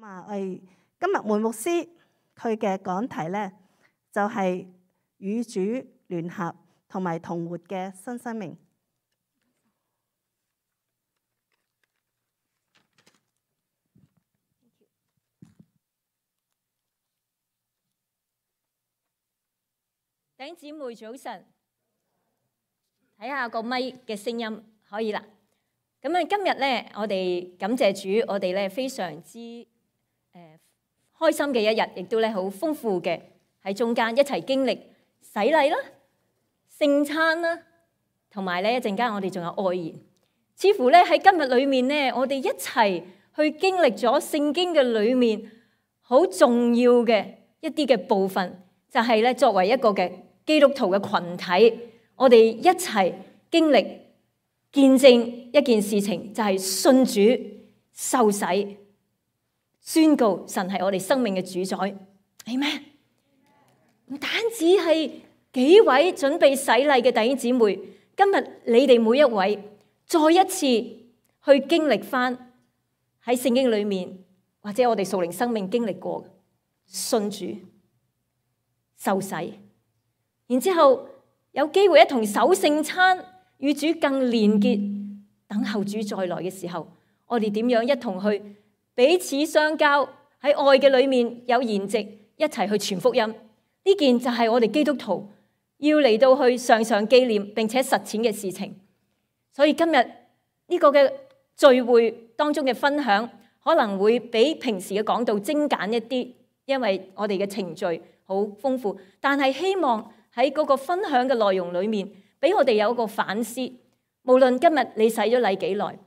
我哋今日梅牧師佢嘅講題呢，就係與主聯合同埋同活嘅新生命。弟兄姊妹早晨，睇下個咪嘅聲音可以啦。咁啊，今日咧，我哋感謝主，我哋咧非常之開心嘅一日，亦都咧好豐富嘅喺中間一齊經歷洗禮啦、聖餐啦，同埋咧一陣間我哋仲有愛言。似乎咧喺今日裏面咧，我哋一齊去經歷咗聖經嘅裏面好重要嘅一啲嘅部分，就係咧作為一個嘅基督徒嘅群體，我哋一齊經歷見證一件事情，就係信主受洗，宣告神係我哋生命嘅主宰。Amen。唔單止係幾位準備洗禮嘅弟兄姊妹，今日你哋每一位再一次去經歷翻喺聖經裏面，或者我哋屬靈生命經歷過信主受洗，然之後有機會一同守聖餐，與主更連結，等候主再來嘅時候，我哋點樣一同去彼此相交，喺愛嘅裏面有筵席，一齊去傳福音。呢件就係我哋基督徒要嚟到去常常紀念並且實踐嘅事情。所以今日呢個嘅聚會當中嘅分享，可能會比平時嘅講道精簡一啲，因為我哋嘅程序好豐富，但係希望喺嗰個分享嘅內容裏面，俾我哋有一個反思。無論今日你洗咗禮幾耐，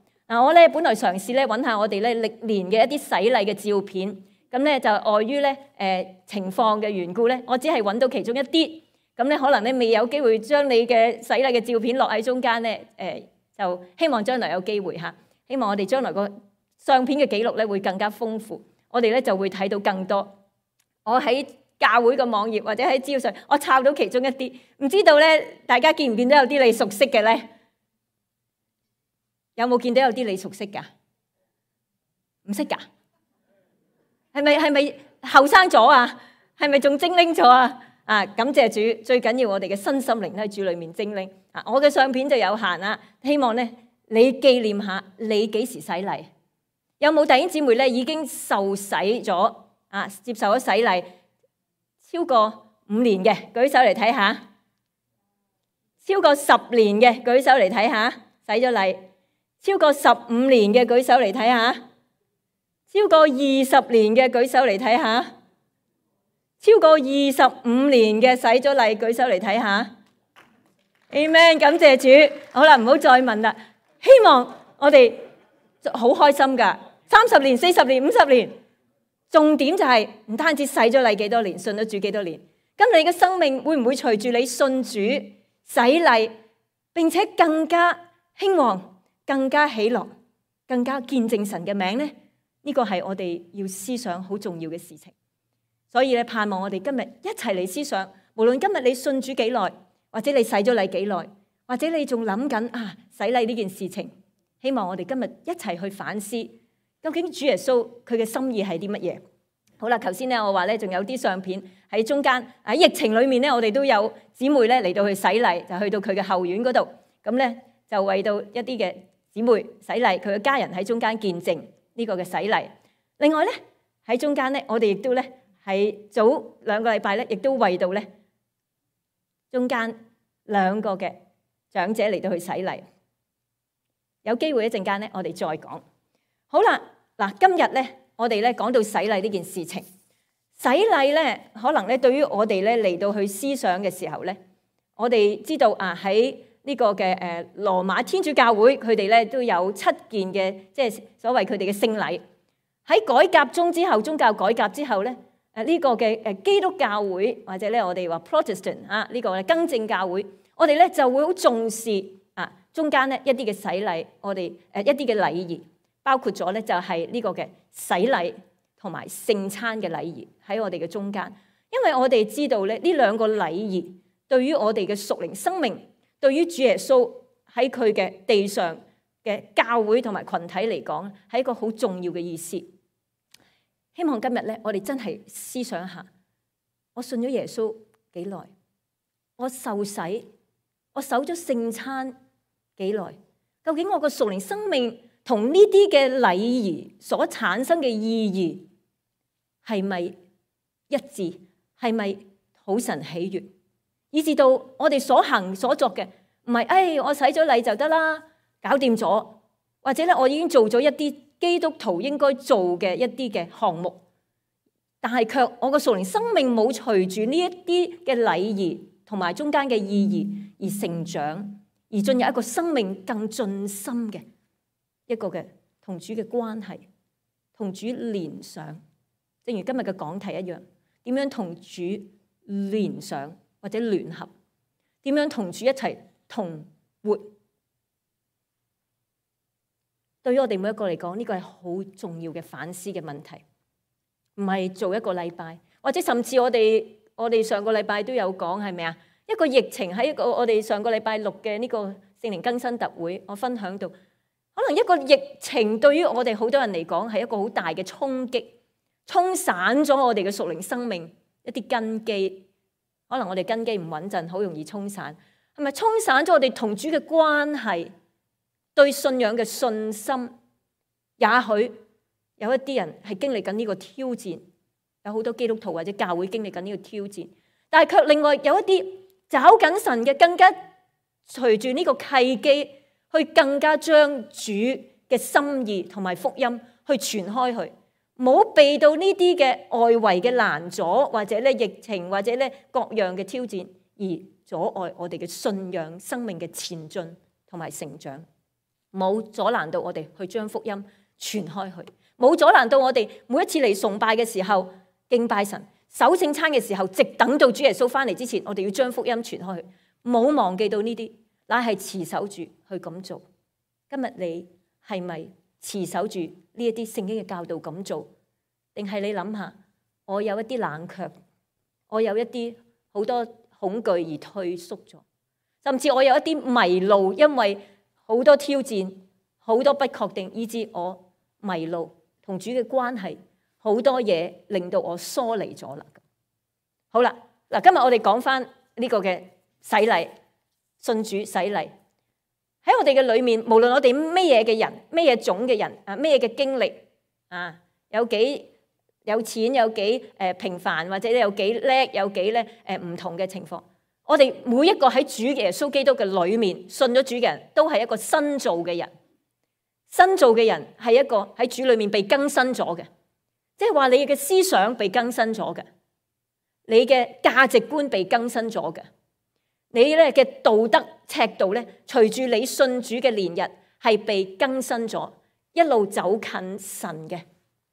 我咧本來嘗試咧揾下我哋咧歷年嘅一啲洗禮嘅照片，咁咧就礙於咧情況嘅緣故咧，我只係揾到其中一啲，咁咧可能咧未有機會將你嘅洗禮嘅照片落喺中間咧，就希望將來有機會嚇，希望我哋將來個相片嘅記錄咧會更加豐富，我哋咧就會睇到更多。我喺教會嘅網頁或者喺資料上，我抄到其中一啲，唔知道咧大家見唔見到有啲你熟悉嘅咧？有冇見到有啲你熟悉㗎？唔識㗎？係咪後生咗啊？係咪仲精靈咗啊？感謝主，最緊要我哋嘅身心靈喺主裏面精靈。我嘅相片就有限啦，希望咧你紀念下你幾時洗禮？有冇弟兄姊妹咧已經受洗咗接受咗洗禮超過5年嘅？舉手嚟睇下。超過10年嘅舉手嚟睇下，洗咗禮。超過15年嘅舉手嚟睇下，超過20年嘅舉手嚟睇下，超過25年嘅洗咗禮舉手嚟睇下。Amen， 感謝主。好啦，唔好再問啦。希望我哋好開心噶，30年、40年、50年，重點就係唔單止洗咗禮幾多年，信咗主幾多年，咁你嘅生命會唔會隨住你信主洗禮，並且更加興旺？更加喜樂，更加見證神嘅名呢？呢個係我哋要思想好重要嘅事情。所以咧，盼望我哋今日一齊嚟思想，無論今日你信主幾耐，或者你洗咗禮幾耐，或者你仲諗緊洗禮呢件事情，希望我哋今日一齊去反思，究竟主耶穌佢嘅心意係啲乜嘢？好啦，頭先咧我話咧仲有啲相片喺中間，喺疫情裏面咧，我哋都有姊妹咧嚟到去洗禮，就去到佢嘅後院嗰度，咁咧就為到一啲嘅姊妹洗禮，佢嘅家人喺中間見證呢個嘅洗禮。另外咧喺中間咧，我哋亦都咧喺早2個禮拜咧，亦都為到咧中間2個嘅長者嚟到去洗禮。有機會一陣間咧，我哋再講。好啦，嗱，今日咧我哋咧講到洗禮呢件事情，洗禮咧可能咧對於我哋咧嚟到去思想嘅時候咧，我哋知道喺呢個嘅羅馬天主教會，佢哋咧都有7件嘅，即係所謂佢哋嘅聖禮。喺改革宗之後，宗教改革之後咧，呢個嘅基督教會或者咧我哋話 Protestant 呢個更正教會，我哋咧就會好重視中間咧一啲嘅洗禮，我哋一啲嘅禮儀，包括咗咧就係呢個嘅洗禮同埋聖餐嘅禮儀喺我哋嘅中間。因為我哋知道咧呢2個禮儀對於我哋嘅屬靈生命，對於主耶穌喺佢嘅地上嘅教會同埋群體嚟講，係一個好重要嘅意思。希望今日咧，我哋真係思想一下，我信咗耶穌幾耐？我受洗，我守咗聖餐幾耐？究竟我個屬靈生命同呢啲嘅禮儀所產生嘅意義係咪一致？係咪討神喜悅？以至到我哋所行所作嘅唔係，我洗咗禮就得啦，搞掂咗，或者咧我已經做咗一啲基督徒應該做嘅一啲嘅項目，但係卻我個屬靈生命冇隨住呢一啲嘅禮儀同埋中間嘅意義而成長，而進入一個生命更進深嘅一個嘅同主嘅關係，同主連上，正如今日嘅講題一樣，點樣同主連上或者聯合，點樣同主一齊同活？對於我哋每一個嚟講，呢個係好重要嘅反思嘅問題，唔係做一個禮拜，或者甚至我哋上個禮拜都有講，係咪啊？一個疫情喺一個我哋上個禮拜六嘅呢個聖靈更新特會，我分享到，可能一個疫情對於我哋好多人嚟講係一個好大嘅衝擊，沖散咗我哋嘅屬靈生命一啲根基，可能我哋根基唔穩陣，好容易沖散，係咪沖散咗我哋同主嘅關係？對信仰嘅信心，也許有一啲人係經歷緊呢個挑戰，有好多基督徒或者教會經歷緊呢個挑戰，但係卻另外有一啲找緊神嘅，更加隨住呢個契機，去更加將主嘅心意同埋福音去傳開去，冇被到呢啲嘅外圍嘅攔阻，或者咧疫情，或者咧各樣嘅挑戰而阻礙我哋嘅信仰生命嘅前進同埋成長。冇阻攔到我哋去將福音傳開去，冇阻攔到我哋每一次嚟崇拜嘅時候敬拜神，守聖餐嘅時候，直等到主耶穌翻嚟之前，我哋要將福音傳開去，冇忘記到呢啲，乃係持守住去咁做。今日你係咪持守住呢一啲聖經嘅教導咁做？定係你諗下，我有一啲冷卻，我有一啲好多恐懼而退縮咗，甚至我有一啲迷路，因為好多挑戰，好多不確定，以致我迷路，同主嘅關係好多嘢令到我疏離咗啦。好啦，嗱，今日我哋講翻呢個嘅洗禮，信主洗禮喺我哋嘅裏面，無論我哋咩嘢嘅人，咩嘢種嘅人啊，咩嘢嘅經歷啊，有幾有錢，有幾平凡，或者有幾叻，有幾咧唔同嘅情況。我哋每一個喺主耶穌基督嘅裏面信咗主嘅人都係一個新造嘅人，新造嘅人係一個喺主裏面被更新咗嘅，即係話你嘅思想被更新咗嘅，你嘅價值觀被更新咗嘅，你咧嘅道德尺度咧隨住你信主嘅年日係被更新咗，一路走近神嘅，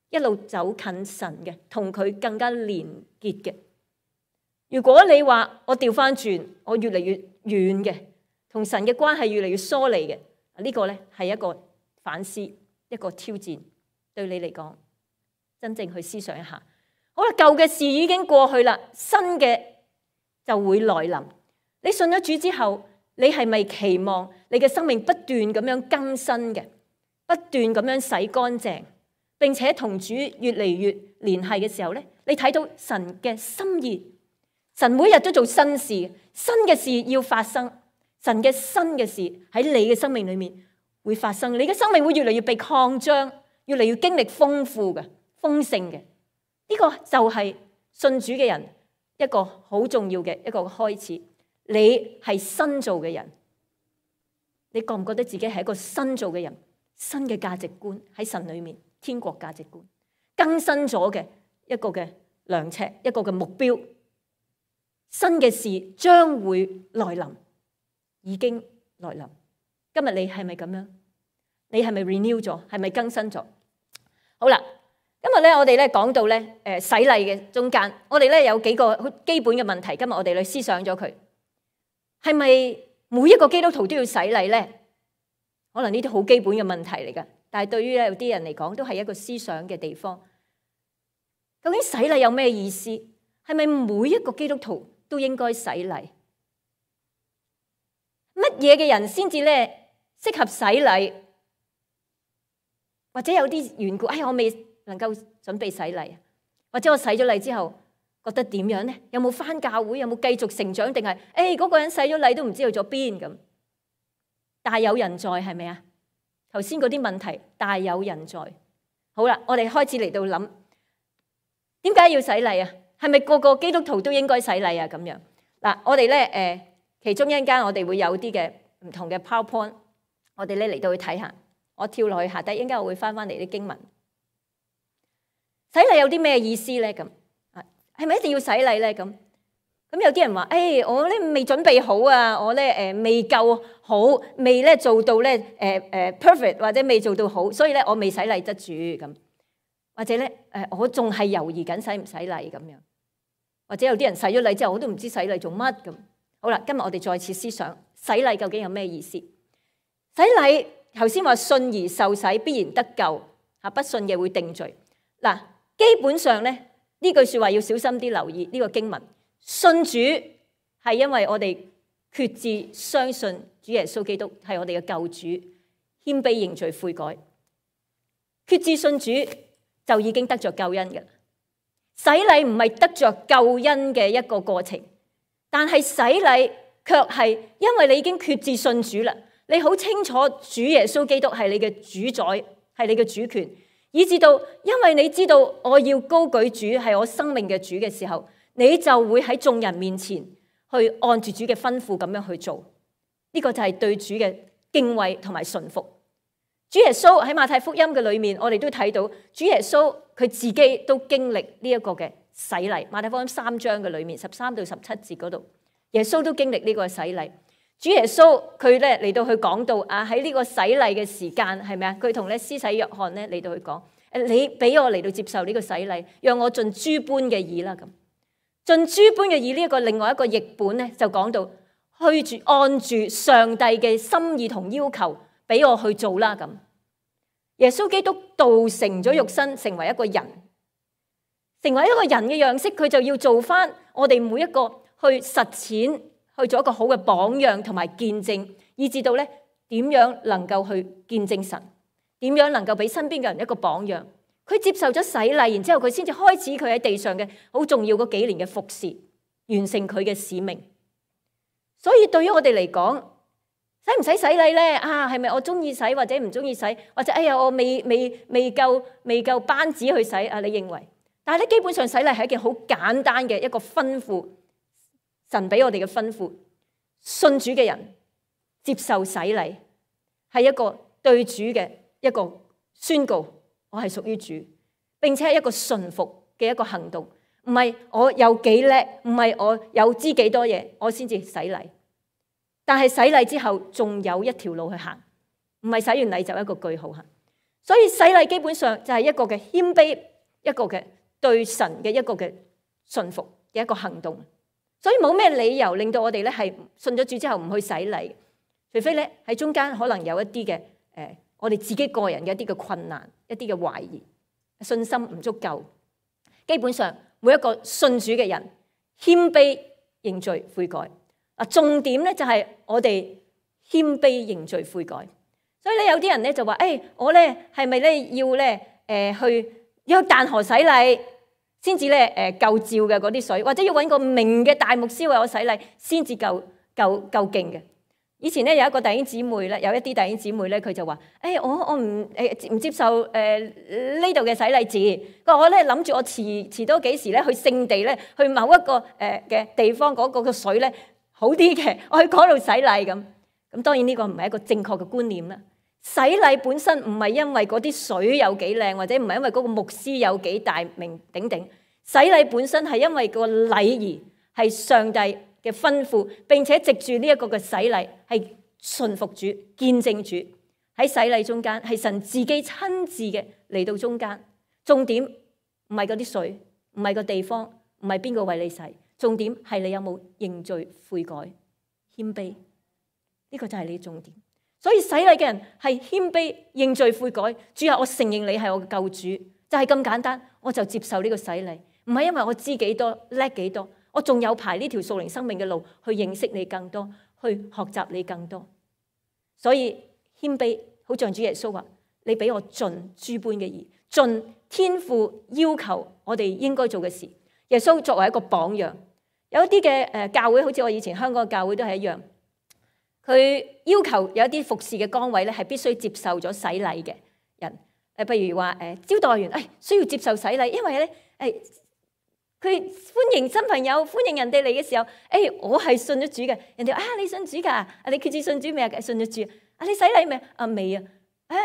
一路走近神嘅，同佢更加連結嘅。如果你話我調翻轉，我越嚟越遠嘅，同神嘅關係越嚟越疏離嘅，呢個咧係一個反思，一個挑戰，對你嚟講，真正去思想一下。好啦，舊嘅事已經過去啦，新嘅就會來臨。你信咗主之後，你係咪期望你嘅生命不斷咁樣更新嘅，不斷咁樣洗乾淨，並且同主越嚟越聯繫嘅時候咧，你睇到神嘅心意。神每日都做新事，新嘅事要發生，神嘅新嘅事喺你嘅生命裏面會發生，你嘅生命會越嚟越被擴張，越嚟越經歷豐富嘅、豐盛嘅。呢個就係信主嘅人一個好重要嘅一個開始。你係新造嘅人，你覺唔覺得自己係一個新造嘅人？新嘅價值觀喺神裏面，天國價值觀更新咗嘅一個嘅量尺，一個嘅目標。新嘅事將會來臨，已經來臨。今日你係咪咁樣？你係咪 renew 咗？係咪更新咗？好啦，今日咧我哋咧講到咧洗禮嘅中間，我哋咧有幾個好基本嘅問題。今日我哋去思想咗佢，係咪每一個基督徒都要洗禮咧？可能呢啲好基本嘅問題嚟噶，但係對於有啲人嚟講，都係一個思想嘅地方。究竟洗禮有咩意思？係咪每一個基督徒都應該洗禮？乜嘢嘅人先至咧適合洗禮？或者有啲緣故，我未能夠準備洗禮？或者我洗咗禮之後覺得點樣呢？有冇返教會？有冇繼續成長？定係嗰個人洗咗禮都唔知去咗邊咁？大有人在，係咪啊？頭先嗰啲問題大有人在。好啦，我哋開始嚟到諗，點解要洗禮啊？係咪個個基督徒都應該洗禮啊？咁樣嗱，我哋咧其中一陣間我哋會有啲嘅唔同嘅 PowerPoint， 我哋咧嚟到去睇下。我跳落去下低，一陣間我會翻嚟啲經文。洗禮有啲咩意思咧？咁係咪一定要洗禮咧？咁有啲人話：我咧未準備好啊，我咧未夠好，未咧做到咧perfect， 或者未做到好，所以咧我未洗禮得住咁。或者咧我仲係猶豫緊洗唔洗禮咁樣。或者有啲人洗咗禮之後，我都唔知洗禮做乜咁。好啦，今日我哋再次思想洗禮究竟有咩意思？洗禮頭先話信而受洗必然得救，不信嘅會定罪。嗱，基本上咧呢句說話要小心啲留意呢個經文。信主係因為我哋決志相信主耶穌基督係我哋嘅救主，謙卑認罪悔改，決志信主就已經得着救恩嘅。洗禮唔係得着救恩嘅一個過程，但係洗禮卻係因為你已經決志信主啦，你好清楚主耶穌基督係你嘅主宰，係你嘅主權，以至到因為你知道我要高舉主係我生命嘅主嘅時候，你就會喺眾人面前去按住主嘅吩咐咁樣去做。呢個就係對主嘅敬畏同埋順服。主耶穌喺馬太福音嘅裏面，我哋都睇到主耶穌佢自己都經歷呢一個嘅洗禮。馬太福音3章嘅裏面13到17節嗰度，耶穌都經歷呢個洗禮。主耶穌佢咧嚟到去講到喺呢個洗禮嘅時間係咪啊？佢同咧施洗約翰咧嚟到去講，你俾我嚟到接受呢個洗禮，讓我盡諸般嘅義啦咁。盡諸般嘅義呢一個另外一個譯本咧就講到按住上帝嘅心意同要求俾我去做啦咁。耶穌基督道成咗肉身，成為一個人，成為一個人嘅樣式，佢就要做翻我哋每一個去實踐，去做一個好嘅榜樣同埋見證，以至到咧點樣能夠去見證神，點樣能夠俾身邊嘅人一個榜樣。佢接受咗洗禮，然之後佢先至開始佢喺地上嘅好重要嗰幾年嘅服侍，完成佢嘅使命。所以對於我哋嚟講，使唔使洗禮咧？係咪我中意洗或者唔中意洗，或者我未夠班子去洗啊？你認為？但係咧，基本上洗禮係一件好簡單嘅一個吩咐，神俾我哋嘅吩咐。信主嘅人接受洗禮，係一個對主嘅一個宣告，我係屬於主，並且係一個順服嘅一個行動，唔係我有幾叻，唔係我有知幾多嘢，我先至洗禮。但係洗禮之後，仲有一條路去行，唔係洗完禮就一個句號行。所以洗禮基本上就係一個嘅謙卑，一個嘅對神嘅一個嘅順服嘅一個行動。所以冇咩理由令到我哋咧係信咗主之後唔去洗禮，除非咧喺中間可能有一啲嘅我哋自己個人嘅一啲嘅困難，一啲嘅懷疑，信心唔足夠。基本上每一個信主嘅人謙卑認罪悔改。重點咧就係我哋謙卑認罪悔改。所以咧有啲人咧就話：我咧係咪咧要咧去淡河洗禮先至咧夠照嘅嗰啲水，或者要揾個明嘅大牧師為我洗禮先至夠勁嘅？以前咧有一個弟兄姊妹咧，有一啲弟兄姊妹咧，佢就話：我唔接受呢度嘅洗禮字。我咧諗住我遲多幾時咧去聖地咧，去某一個嘅地方嗰個嘅水咧好啲嘅，我去嗰度洗禮咁。咁當然呢個唔係一個正確嘅觀念啦。洗禮本身唔係因為嗰啲水有幾靚，或者唔係因為嗰個牧師有幾大名鼎鼎。洗禮本身係因為個禮儀係上帝嘅吩咐，並且藉住呢一個嘅洗禮係順服主、見證主。喺洗禮中間係神自己親自嘅嚟到中間。重點唔係嗰啲水，唔係個地方，唔係邊個為你洗，重點係你有冇認罪悔改、謙卑。呢個就係你嘅重點。所以洗禮嘅人係謙卑認罪悔改。主啊，我承認你係我嘅救主，就係咁簡單，我就接受呢個洗禮。唔係因為我知幾多叻幾多，我仲有排呢條屬靈生命嘅路去認識你更多，去學習你更多。所以謙卑好像主耶穌話：你俾我盡諸般嘅義，盡天父要求我哋應該做嘅事。耶穌作為一個榜樣，有一啲嘅教會，好似我以前香港嘅教會都係一樣，佢要求有一啲服侍嘅崗位咧係必須接受咗洗禮嘅人。譬如話招待員，需要接受洗禮，因為咧佢歡迎新朋友，歡迎人哋嚟嘅時候，我係信咗主嘅，人哋你信主㗎？你決志信主未啊？信咗主啊？你洗禮未啊？未啊？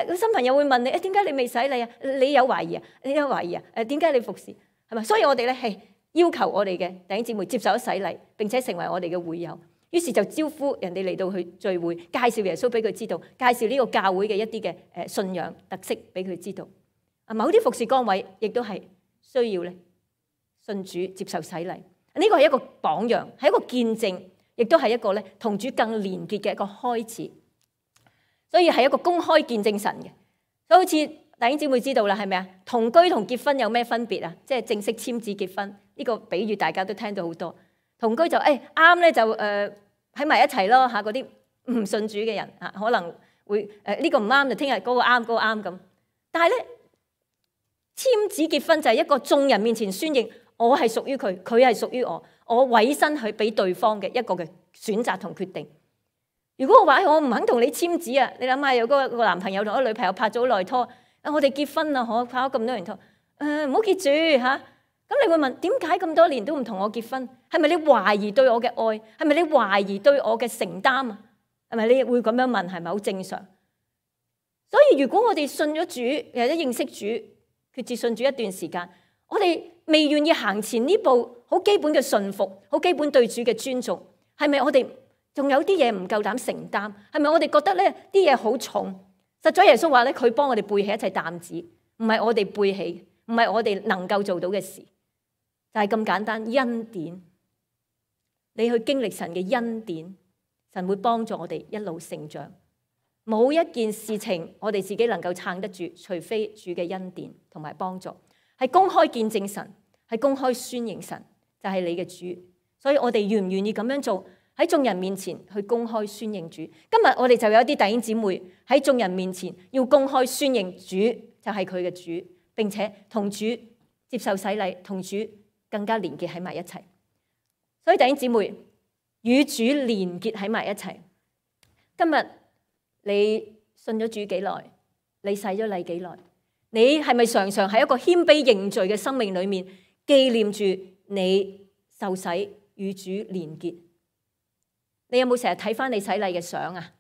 個新朋友會問你，點解你未洗禮啊？你有懷疑啊？你有懷疑啊？點解你服侍係咪？所以我哋咧係要求我哋嘅弟兄姊妹接受咗洗禮，並且成為我哋嘅會友。於是就招呼人哋嚟到去聚會，介紹耶穌俾佢知道，介紹呢個教會嘅一啲嘅信仰特色俾佢知道。某啲服侍崗位亦都係需要咧信主接受洗禮。呢個係一個榜樣，係一個見證，亦都係一個咧同主更連結嘅一個開始。所以係一個公開見證神嘅。所以好似弟兄姊妹知道啦，係咪啊？同居同結婚有咩分別啊？即係正式簽字結婚呢個比喻，大家都聽到好多。同居就啱咧，就喺埋一齊咯嚇。嗰啲唔信主嘅人啊，可能會呢個唔啱就聽日嗰個啱，嗰個啱咁。但係咧簽字結婚就係一個眾人面前宣認我係屬於佢，佢係屬於我，我委身去俾對方嘅一個嘅選擇同決定。如果我話我唔肯同你簽字啊，你諗下有個男朋友同個女朋友拍咗好耐拖，我哋結婚啦，拍咗咁多年拖，唔好結住嚇。咁你會問點解咁多年都唔同我結婚？係咪你懷疑對我嘅愛？係咪你懷疑對我嘅承擔啊？係咪你會咁樣問？係咪好正常？所以如果我哋信咗主，或者認識主，決志信主一段時間，我哋未願意行前呢步，好基本嘅順服，好基本對主嘅尊重，係咪我哋仲有啲嘢唔夠膽承擔？係咪我哋覺得咧啲嘢好重？實在耶穌話咧，佢幫我哋背起一切擔子，唔係我哋背起，唔係我哋能夠做到嘅事。就係咁簡單，恩典，你去經歷神嘅恩典，神會幫助我哋一路成長。冇一件事情我哋自己能夠撐得住，除非主嘅恩典同埋幫助。係公開見證神，係公開宣認神，就係你嘅主。所以我哋願唔願意咁樣做，喺眾人面前去公開宣認主。今日我哋就有一啲弟兄姊妹喺眾人面前要公開宣認主就係佢嘅主，並且同主接受洗禮，同主更加連結喺埋一齊。所以弟兄姊妹與主連結喺埋一齊。今日你信咗主幾耐？你洗咗禮幾耐？你係咪常常喺一個謙卑認罪嘅生命裏面紀念住你受洗與主連結？你有冇成日睇翻你洗禮嘅相啊？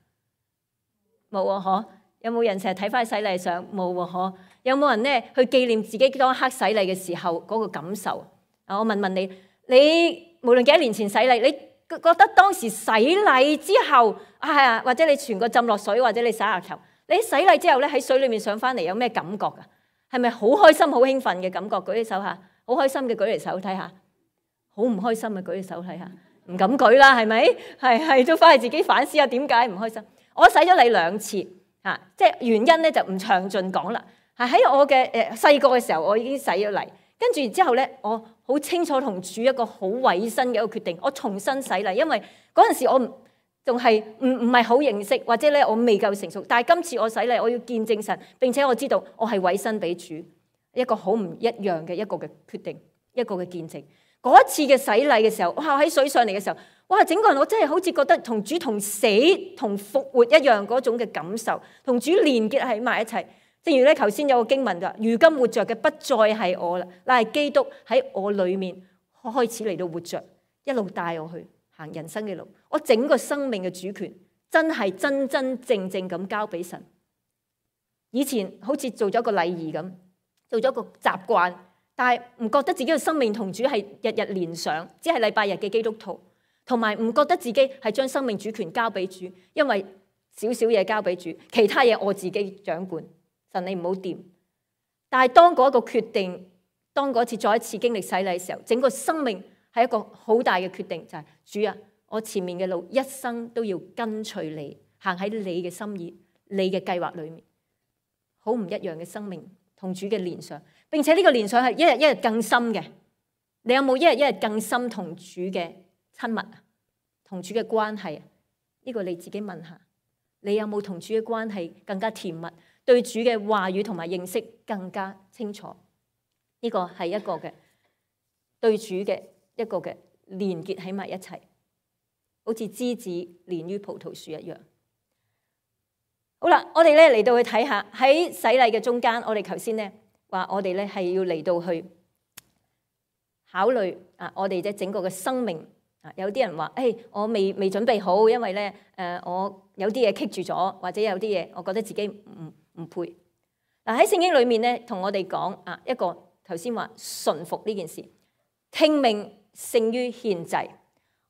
冇啊，嗬？有冇人成日睇翻洗禮嘅相？冇啊，嗬？有冇人咧去紀念自己當刻洗禮嘅時候嗰個感受？我問問你，你無論幾多年前洗禮，你覺得當時洗禮之後或者你全個浸落水，或者你洗下頭，你洗禮之後咧喺水裏面上翻嚟，有咩感覺噶？係咪好開心、好興奮嘅感覺？舉起手下，好開心嘅舉嚟手睇下，好唔開心嘅舉起手睇下，唔敢舉啦，係咪？係都翻去自己反思下點解唔開心。我洗咗禮2次，即係原因咧就唔詳盡講啦。喺我嘅細個嘅時候，我已經洗咗禮，跟住之後咧，我好清楚同主一個好委身嘅一個決定，我重新洗禮，因為嗰陣時我仲係唔係好認識，或者咧我未夠成熟。但係今次我洗禮，我要見證神，並且我知道我係委身俾主，一個好唔一樣嘅一個嘅決定，一個嘅見證。嗰一次嘅洗禮嘅時候，哇！喺水上嚟嘅時候，哇！整個人我真係好似覺得同主同死同復活一樣嗰種嘅感受，同主連結喺埋一齊。正如咧頭先有個經文就話：如今活着嘅不再係我啦，乃係基督喺我裏面開始嚟到活着，一路帶我去行人生嘅路。我整個生命嘅主權真係真真正正咁交俾神。以前好似做咗個禮儀咁，做咗個習慣，但係唔覺得自己嘅生命同主係日日連上，只係禮拜日嘅基督徒，同埋唔覺得自己係將生命主權交俾主，因為少少嘢交俾主，其他嘢我自己掌管。神你唔好掂。但係當嗰個決定，當嗰次再一次經歷洗禮嘅時候，整個生命係一個好大嘅決定，就係主啊，我前面嘅路一生都要跟隨你，行喺你嘅心意、你嘅計劃裏面，好唔一樣嘅生命同主嘅連上，並且呢個連上係一日一日更深嘅。你有冇一日一日更深同主嘅親密啊？同主嘅關係啊？呢個你自己問下，你有冇同主嘅關係更加甜蜜？對主嘅話語同埋認識更加清楚，呢個係一個嘅對主嘅一個嘅連結喺埋一齊，好似枝子連於葡萄樹一樣。好啦，我哋咧嚟到去睇下喺洗禮嘅中間，我哋頭先咧話我哋咧係要嚟到去考慮我哋整個嘅生命。有啲人話：我未準備好，因為咧我有啲嘢棘住咗，或者有啲嘢我覺得自己唔配。喺聖經裏面咧，同我哋講一個頭先話順服呢件事，聽命勝於獻祭。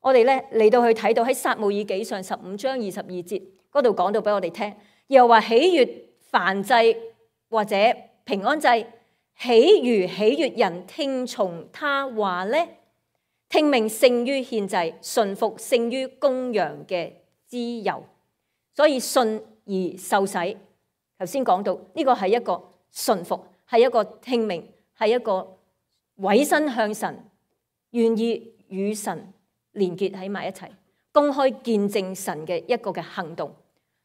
我哋咧嚟到去睇到喺撒母耳記上15章22節嗰度講到俾我哋聽，又話喜悅燔祭或者平安祭，豈如喜悅人聽從他話呢？聽命勝於獻祭，順服勝於公羊嘅脂油。所以信而受洗，頭先講到呢個係一個順服，係一個聽命，係一個委身向神，願意與神連結喺埋一齊，公開見證神嘅一個嘅行動。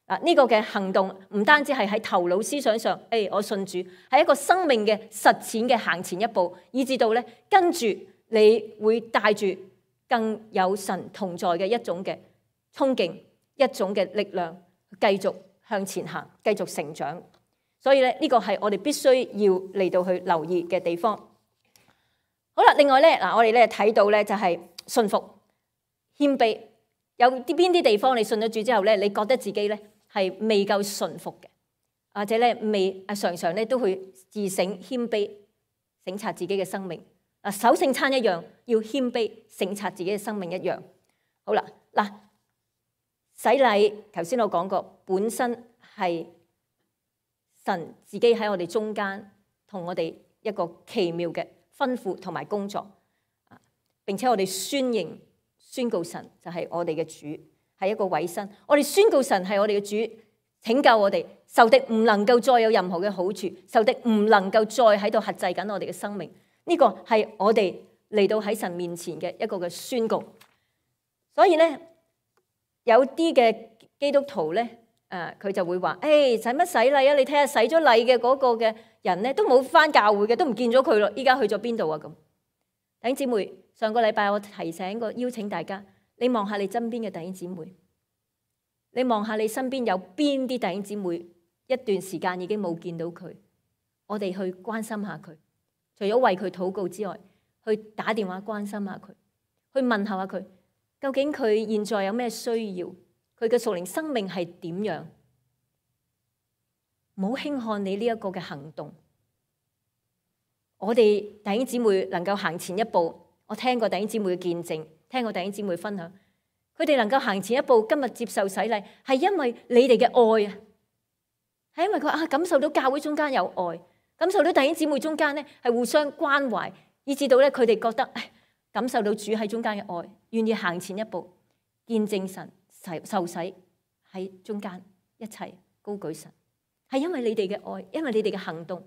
呢個嘅行動唔單止係喺頭腦思想上，我信主，係一個生命嘅實踐嘅行前一步，以至到咧跟住你會帶住更有神同在嘅一種嘅衝勁，一種嘅力量，繼續向前行，繼續成長。所以咧呢個係我哋必須要嚟到去留意嘅地方。好啦，另外咧我哋咧睇到咧就係信服、謙卑。有邊啲地方你信咗主之後咧，你覺得自己咧係未夠順服嘅，或者咧常常咧都去自省謙卑，省察自己嘅生命。守聖餐一樣，要謙卑省察自己嘅生命一樣。好啦，洗禮頭先我講過，本身係神自己喺我哋中間同我哋一個奇妙嘅吩咐同埋工作，並且我哋宣告神就係我哋嘅主，係一個委身。我哋宣告神係我哋嘅主，拯救我哋，仇敵唔能夠再有任何嘅好處，仇敵唔能夠再喺度轄制緊我哋嘅生命。呢個係我哋嚟到喺神面前嘅一個嘅宣告。所以咧，有啲嘅基督徒咧，佢就會話：使乜洗禮啊？你睇下洗咗禮嘅嗰個嘅人咧，都冇返教會嘅，都唔見咗佢咯。依家去咗邊度啊？咁弟兄姊妹，上個禮拜我提醒過，邀請大家，你望下你身邊嘅弟兄姊妹，你望下你身邊有邊啲弟兄姊妹，一段時間已經冇見到佢，我哋去關心下佢。除咗為佢禱告之外，去打電話關心下佢，去問下佢，究竟佢現在有咩需要，佢嘅屬靈生命係點樣？唔好輕看你呢一個嘅行動。我哋弟兄姊妹能夠行前一步，我聽過弟兄姊妹嘅見證，聽過弟兄姊妹分享，佢哋能夠行前一步，今日接受洗禮，係因為你哋嘅愛啊，係因為佢感受到教會中間有愛。感受到弟兄姊妹中間咧係互相關懷，以至到咧佢哋覺得感受到主喺中間嘅愛，願意行前一步見證神受洗喺中間一齊高舉神，係因為你哋嘅愛，因為你哋嘅行動，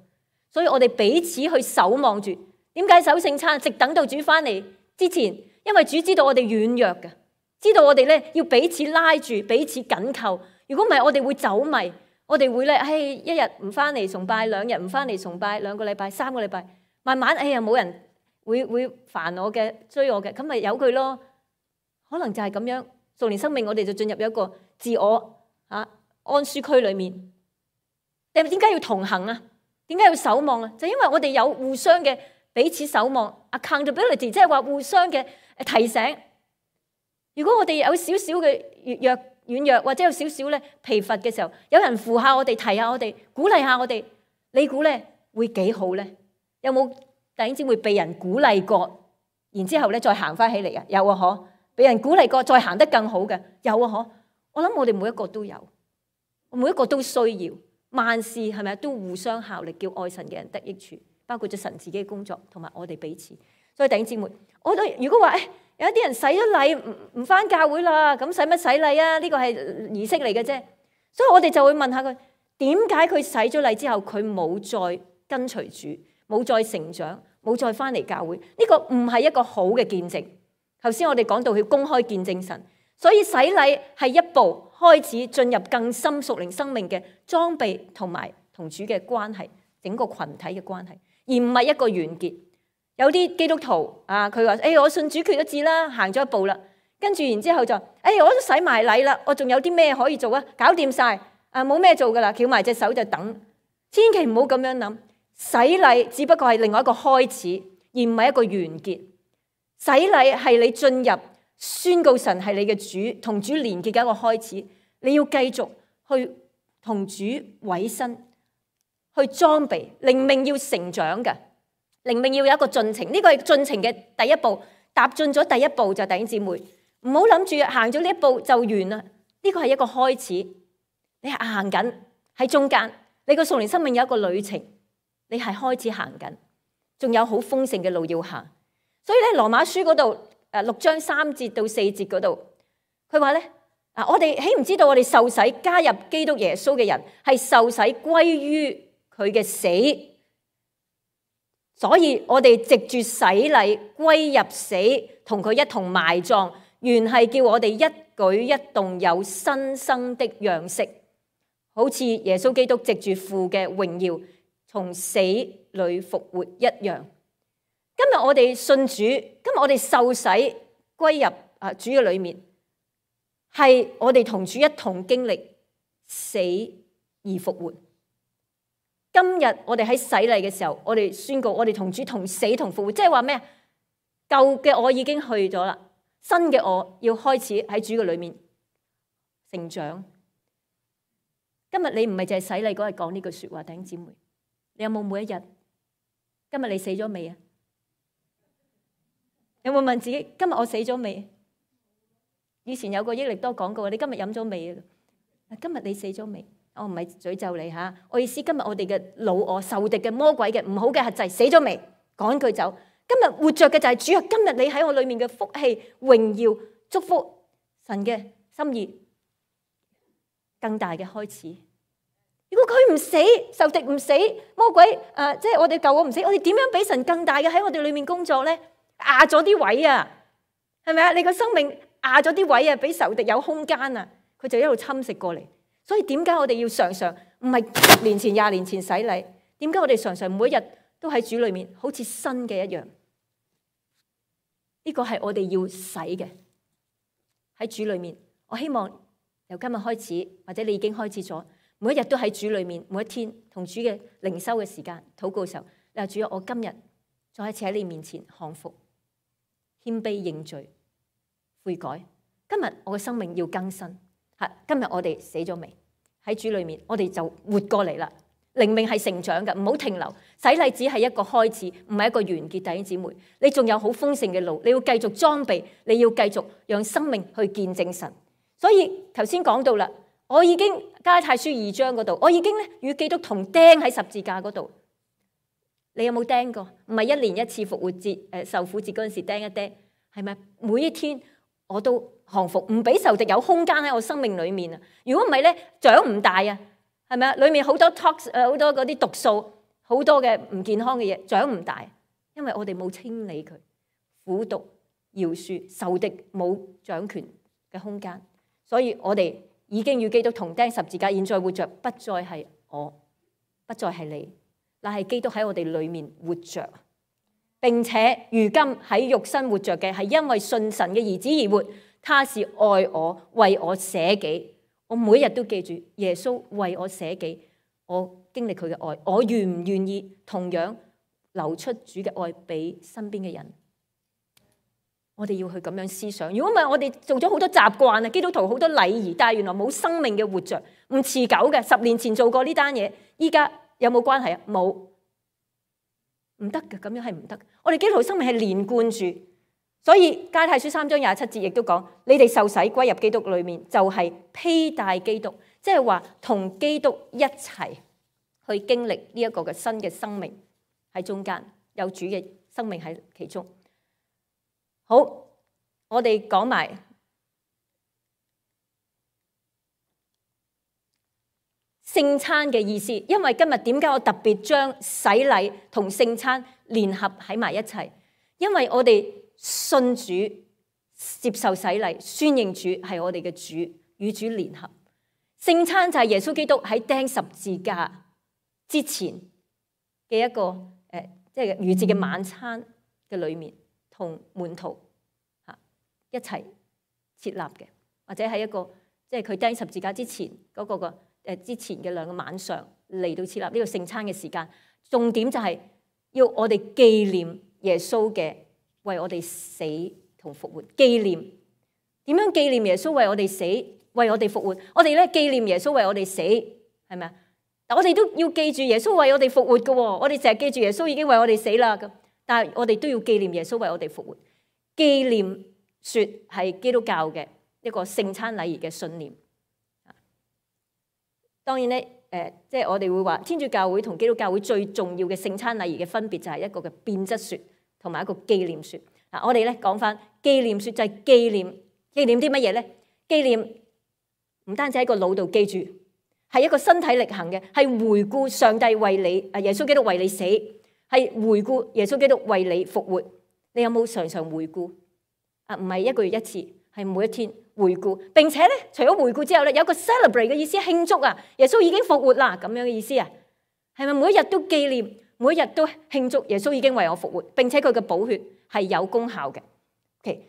所以我哋彼此去守望住。點解守聖餐？直等到主翻嚟之前，因為主知道我哋軟弱嘅，知道我哋咧要彼此拉住，彼此緊扣。如果唔係，我哋會走迷。我哋會咧，一日唔翻嚟崇拜，兩日唔翻嚟崇拜，兩個禮拜、3個禮拜，慢慢冇人會煩我嘅、追我嘅，咁咪由佢咯。可能就係咁樣，屬靈生命我哋就進入一個自我安舒區裏面。點解要同行啊？點解要守望啊？就因為我哋有互相嘅彼此守望 accountability， 即係話互相嘅提醒。如果我哋有少少嘅軟弱或者有少少咧疲乏嘅時候，有人扶下我哋，提下我哋，鼓勵下我哋，你估咧會幾好咧？有冇弟兄姊妹被人鼓勵過，然之後咧再行翻起嚟啊？有啊，嗬！被人鼓勵過，再行得更好嘅，有啊，嗬！我諗我哋每一個都有，每一個都需要。萬事係咪都互相效力，叫愛神嘅人得益處，包括咗神自己嘅工作同埋我哋彼此。所以弟兄姊妹，我都如果話有一啲人洗咗禮唔返教會啦，咁使乜洗禮啊？呢個係儀式嚟嘅啫。所以我哋就會問下佢，點解佢洗咗禮之後佢冇再跟隨主，冇再成長，冇再返嚟教會？呢個唔係一個好嘅見證。頭先我哋講到佢公開見證神，所以洗禮係一步開始進入更深屬靈生命嘅裝備同埋同主嘅關係，整個群體嘅關係。而唔係一個完結。有啲基督徒啊，佢話：我信主決咗志啦，行咗一步啦，跟住然之後就我都洗埋禮啦，我仲有啲咩可以做啊？搞掂晒啊，冇咩做噶啦，翹埋隻手就等。千祈唔好咁樣諗，洗禮只不過係另外一個開始，而唔係一個完結。洗禮係你進入宣告神係你嘅主，同主連結嘅一個開始。你要繼續去同主委身，去裝備靈命，要成長嘅靈命要有一個進程。呢個係進程嘅第一步，踏進咗第一步就弟兄姊妹，唔好諗住行咗呢一步就完啦。呢個係一個開始，你係行緊喺中間，你個屬靈生命有一個旅程，你係開始行緊，仲有好豐盛嘅路要行。所以咧，羅馬書嗰度6章3節到4節嗰度，佢話咧，我哋豈唔知道我哋受洗加入基督耶穌嘅人係受洗歸於佢嘅死，所以我哋藉住洗禮歸入死，同佢一同埋葬，原係叫我哋一舉一動有新生的樣式，好似耶穌基督藉住父嘅榮耀從死裏復活一樣。今日我哋信主，今日我哋受洗歸入主嘅裏面，係我哋同主一同經歷死而復活。今日我哋喺洗禮嘅時候，我哋宣告我哋同主同死同復活，即係話咩？舊嘅我已經去咗啦，新嘅我要開始喺主嘅裏面成長。今日你唔係淨係洗禮嗰日講呢句說話，弟兄姊妹，你有冇每一日？今日你死咗未啊？有冇問自己今日我死咗未？以前有個益力多講過，你今日飲咗未啊？今日你死咗未？我唔係詛咒你吓，我意思今日我哋嘅老我、仇敵嘅、魔鬼嘅、唔好嘅轄制死咗未？趕佢走。今日活着嘅就係主啊！今日你喺我裏面嘅福氣、榮耀、祝福，神嘅心意更大嘅開始。如果佢唔死，仇敵唔死，魔鬼即係我哋舊我唔死，我哋點樣俾神更大嘅喺我哋裏面工作咧？壓咗啲位啊，係咪啊？你個生命壓咗啲位啊，俾仇敵有空間啊，佢就一路侵蝕過嚟。所以點解我哋要常常唔係10年前、20年前洗禮？點解我哋常常每一日都喺主裏面好似新嘅一樣？呢個係我哋要洗嘅喺主裏面。我希望由今日開始，或者你已經開始咗，每一日都喺主裏面，每一天同主嘅靈修嘅時間、禱告嘅時候，你話主啊，我今日再一次喺你面前降服。謙卑認罪悔改，今日我嘅生命要更新。今日我哋死咗未？喺主裏面，我哋就活過嚟啦。靈命係成長嘅，唔好停留。洗禮只係一個開始，唔係一個完結。弟兄姊妹，你仲有好豐盛嘅路，你要繼續裝備，你要繼續讓生命去見證神。所以頭先講到啦，我已經加拉太書2章嗰度，我已經咧與基督同釘喺十字架嗰度。你有冇釘過？唔係1年1次復活節受苦節嗰陣時釘一釘，係咪每一天我都降服，唔俾仇敵有空間喺我生命裏面啊？如果唔係咧，長唔大啊，係咪啊？裏面好多 tox 好多嗰啲毒素，好多嘅唔健康嘅嘢，長唔大，因為我哋冇清理佢，苦毒饒恕，仇敵冇掌權嘅空間，所以我哋已經與基督同釘十字架，現在活着不再係我，不再係你。但係基督喺我哋裏面活着，並且如今喺肉身活着嘅係因為信神嘅兒子而活。他是愛我，為我捨己。我每日都記住耶穌為我捨己，我經歷佢嘅愛。我願唔願意同樣流出主嘅愛俾身邊嘅人？我哋要去咁樣思想。如果唔係，我哋做咗好多習慣啊，基督徒好多禮儀，但係原來冇生命嘅活着，唔持久嘅。10年前做過呢單嘢，依家有冇關係啊？冇，唔得嘅，咁樣係唔得。我哋基督徒生命係連貫住，所以加拉太書3章27節亦都講：你哋受洗歸入基督裏面，就係披戴基督，即係話同基督一齊去經歷呢一個嘅新嘅生命喺中間，有主嘅生命喺其中。好，我哋講埋聖餐嘅意思，因為今日點解我特別將洗禮同聖餐聯合喺埋一齊？因為我哋信主、接受洗禮、宣認主係我哋嘅主，與主聯合。聖餐就係耶穌基督喺釘十字架之前嘅一個即係逾節嘅晚餐嘅裏面，同門徒一齊設立嘅，或者喺一個即係佢釘十字架之前嗰個之前嘅2個晚上嚟到設立呢個聖餐嘅時間。重點就係要我哋紀念耶穌嘅為我哋死同復活。紀念點樣紀念耶穌為我哋死，為我哋復活？我哋咧紀念耶穌為我哋死，係咪啊？但我哋都要記住耶穌為我哋復活嘅。我哋成日記住耶穌已經為我哋死啦，咁但係我哋都要紀念耶穌為我哋復活。紀念說係基督教嘅一個聖餐禮儀嘅信念。當然咧，即係我哋會話天主教會同基督教會最重要嘅聖餐禮儀嘅分別就係一個嘅變質說同埋一個紀念說。我哋咧講翻紀念說就係紀念啲乜嘢咧？紀念唔單止喺個腦度記住，係一個身體力行嘅，係回顧上帝為你耶穌基督為你死，係回顧耶穌基督為你復活。你有冇常常回顧？唔係1個月1次，係每一天回顧。並且咧，除咗回顧之後咧，有一個 celebrate 嘅意思，慶祝啊！耶穌已經復活啦，咁樣嘅意思啊，係咪每一日都紀念，每一日都慶祝耶穌已經為我復活，並且佢嘅寶血係有功效嘅。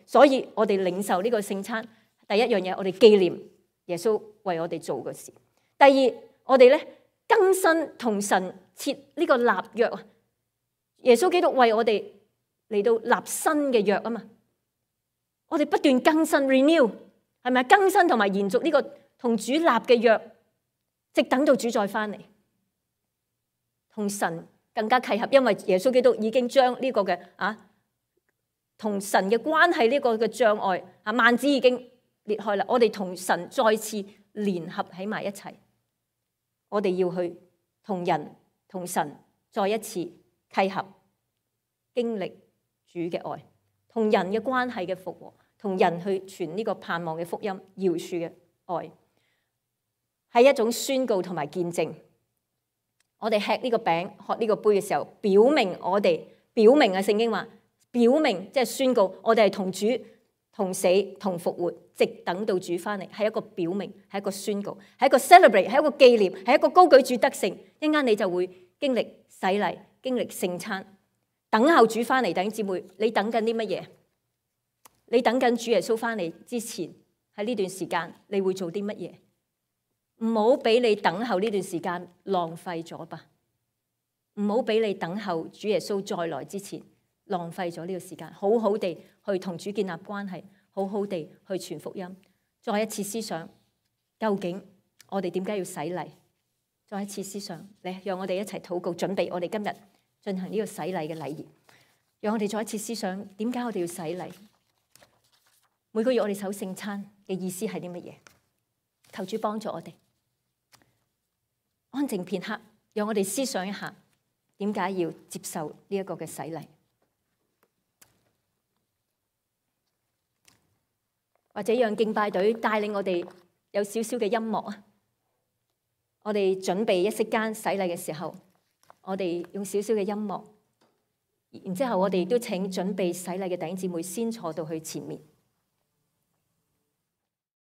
所以我哋領受呢個聖餐，第一樣嘢我哋紀念耶穌為我哋做嘅事。第二，我哋咧更新同神設呢個立約啊！耶穌基督為我哋嚟到立新嘅約啊嘛！我哋不斷更新 renew， 係咪啊？更新同埋延續呢個同主立嘅約，直等到主再翻嚟，同神更加契合。因為耶穌基督已經將呢個嘅同神嘅關係呢個嘅障礙幔子已經裂開啦。我哋同神再次聯合喺埋一齊，我哋要去同人同神再一次契合，經歷主嘅愛，同人嘅關係嘅復和，同人去傳呢個盼望嘅福音，饒恕嘅愛，係一種宣告同埋見證。我哋吃呢個餅、喝呢個杯嘅時候，表明聖經話，表明即係宣告，我哋係同主同死同復活，直等到主翻嚟，係一個表明，係一個宣告，係一個 celebrate， 係一個紀念，係一個高舉主得勝。一陣間你就會經歷洗禮，經歷聖餐，等候主翻嚟。弟兄姊妹，你等緊啲乜嘢？你等緊主耶穌翻嚟之前，喺呢段時間你會做啲乜嘢？唔好俾你等候呢段時間浪費咗吧。唔好俾你等候主耶穌再來之前浪費咗呢個時間，好好地去同主建立關係，好好地去傳福音。再一次思想，究竟我哋點解要洗禮？再一次思想，嚟讓我哋一齊禱告，準備我哋今日進行呢個洗禮嘅禮儀。讓我哋再一次思想，點解我哋要洗禮？每個月我哋守聖餐嘅意思係啲乜嘢？求主幫助我哋，安靜片刻，讓我哋思想一下，點解要接受呢一個嘅洗禮？或者讓敬拜隊帶領我哋有少少嘅音樂啊！我哋準備一息間洗禮嘅時候，我哋用少少嘅音樂，然之後我哋都請準備洗禮嘅弟兄姊妹先坐到去前面。